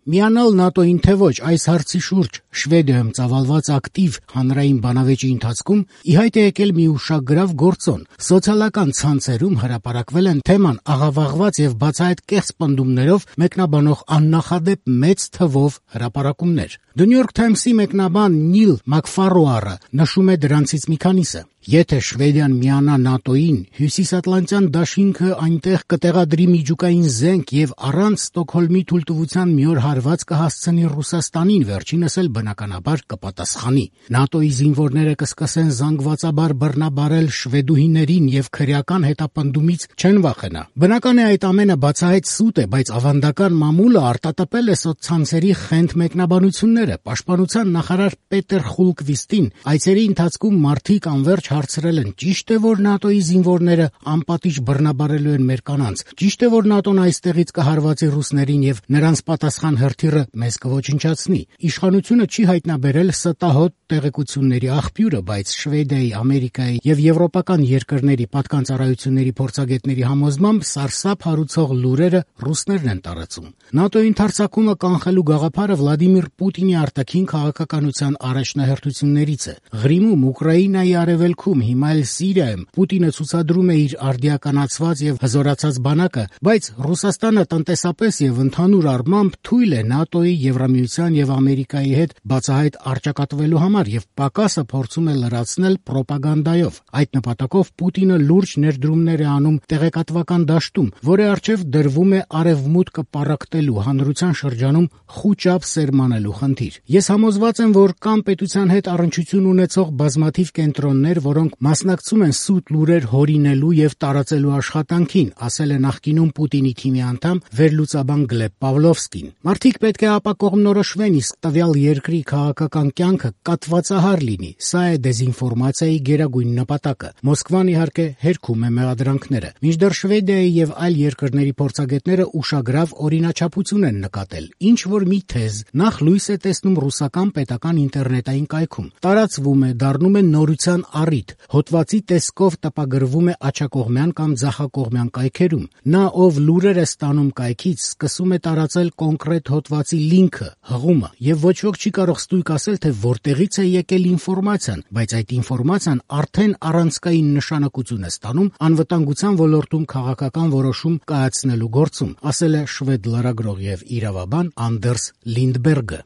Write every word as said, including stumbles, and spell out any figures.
Միանալ ՆԱՏՕ-ին թե ոչ, այս հարցի շուրջ Շվեդիայում ծավալված ակտիվ հանրային բանավեճի ընթացքում ի հայտ է եկել մի ուշագրավ գործոն։ Սոցիալական ցանցերում հրապարակվել են թեման աղավաղված եւ բացահայտ կեղծ պնդումներով մեկնաբանող աննախադեպ մեծ թվով հրապարակումներ։ The New York Times-ի մեկնաբան Նիլ Մակֆարոարը նշում է դրանցից մի քանիսը։ Եթե Շվեդիան միանա ՆԱՏՕ-ին, Հյուսիսատլանտյան դաշինքը այնտեղ կտեղադրի միջուկային զենք եւ առանց Ստոկհոլմի թույլտվության մի օր հարված կհասցնի Ռուսաստանին, վերջինս էլ բնականաբար կպատասխանի։ ՆԱՏՕ-ի զինվորները կսկսեն զանգվածաբար բռնաբարել շվեդուհիներին եւ քրեական հետապնդումից չեն վախենա։ Բնական է այդ ամենը բացահայտ սուտ է, բայց ավանդական մամուլը արտատպել է սոցցանցերի խենթ մեկնաբանությունները։ Պաշտպանության նախարար Պետեր Խուլկվիստին այցերի ընթացքում մարդիկ անverջ հարցրել են. ճիշտ է, որ ՆԱՏՕ-ի զինվորները անպատիժ բռնաբարելու են մեր կանանց, ճիշտ է, որ ՆԱՏՕ-ն այստեղից կհարվածի ռուսներին եւ նրանց պատասխան հրթիռը մեզ կոչնչացնի։ Իշխանությունը չի հայտնաբերել ստահոդ տեղեկությունների աղբյուրը, բայց Շվեդիայի, Ամերիկայի եւ եվրոպական երկրների պատկանծառայությունների փորձագետների համոզմամբ սարսափ հարուցող լուրերը ռուսներն են տարածում։ ՆԱՏՕ-ի ընդարձակումը կանխելու գաղափարը Վլադիմիր Պուտինի արտաքին քաղաքականության առաջնահերթություններից է։ Ղրիմում, Ուկրաինայի արևելքում, հիմա էլ Սիրիայում Պուտինը ցուցադրում է իր արդիականացված եւ հզորացած բանակը, բայց Ռուսաստանը տնտեսապես եւ ընդհանուր առմամբ թույլ է ՆԱՏՕ-ի, Եվրամիության եւ Ամերիկայի հետ բացահայտ առճակատվելու համար եւ պակասը փորձում է լրացնել պրոպագանդայով։ Այդ նպատակով Պուտինը լուրջ ներդրումներ է անում տեղեկատվական դաշտում, որի առջեւ դրվում է արևմուտքը պառակտելու, հանրության շրջանում խուճապ սերմանելու խնդիր։ Ես համոզված եմ, որ կան պետության հետ առնչություն ունեցող բազմաթիվ կենտրոններ, որոնք մասնակցում են սուտ լուրեր հորինելու եւ տարածելու աշխատանքին, ասել է նախկինում Պուտինի թիմի անդամ վերլուծաբան Գլեբ Պավլովսկին։ Մարդիկ պետք է ապակողմնորոշվեն, իսկ տվյալ երկրի քաղաքական կյանքը կատվածահար լինի։ Սա է դեզինֆորմացիայի գերագույն նպատակը։ Մոսկվան իհարկե հերքում է մեղադրանքները։ Մինչդեռ Շվեդիայի եւ այլ երկրների փորձագետները ուշագրավ օրինաչափություն են նկատել։ Ինչ որ մի թեզ նախ լույս է տեսնում ռուսական պետական ինտերնետային կայքում, տարածվում է, դառնում է նորության առիթ, հոդվածի տեսքով տպագրվում է աջակողմյան կամ ձախակողմյան կայքերում։ Նա, ով լուրեր է ստանում կայքից, սկսում է տարածել կոնկրետ հոդվածի լինքը, հղումը, եւ ոչ ոք չի կարող ստույգ ասել, թե որտեղից է եկել ինֆորմացիան, բայց այդ ինֆորմացիան արդեն առանցքային նշանակություն է ստանում անվտանգության ոլորտում քաղաքական որոշում կայացնելու գործում, ասել է շվեդ լրագրող եւ իրավաբան Անդերս Լինդբերգը։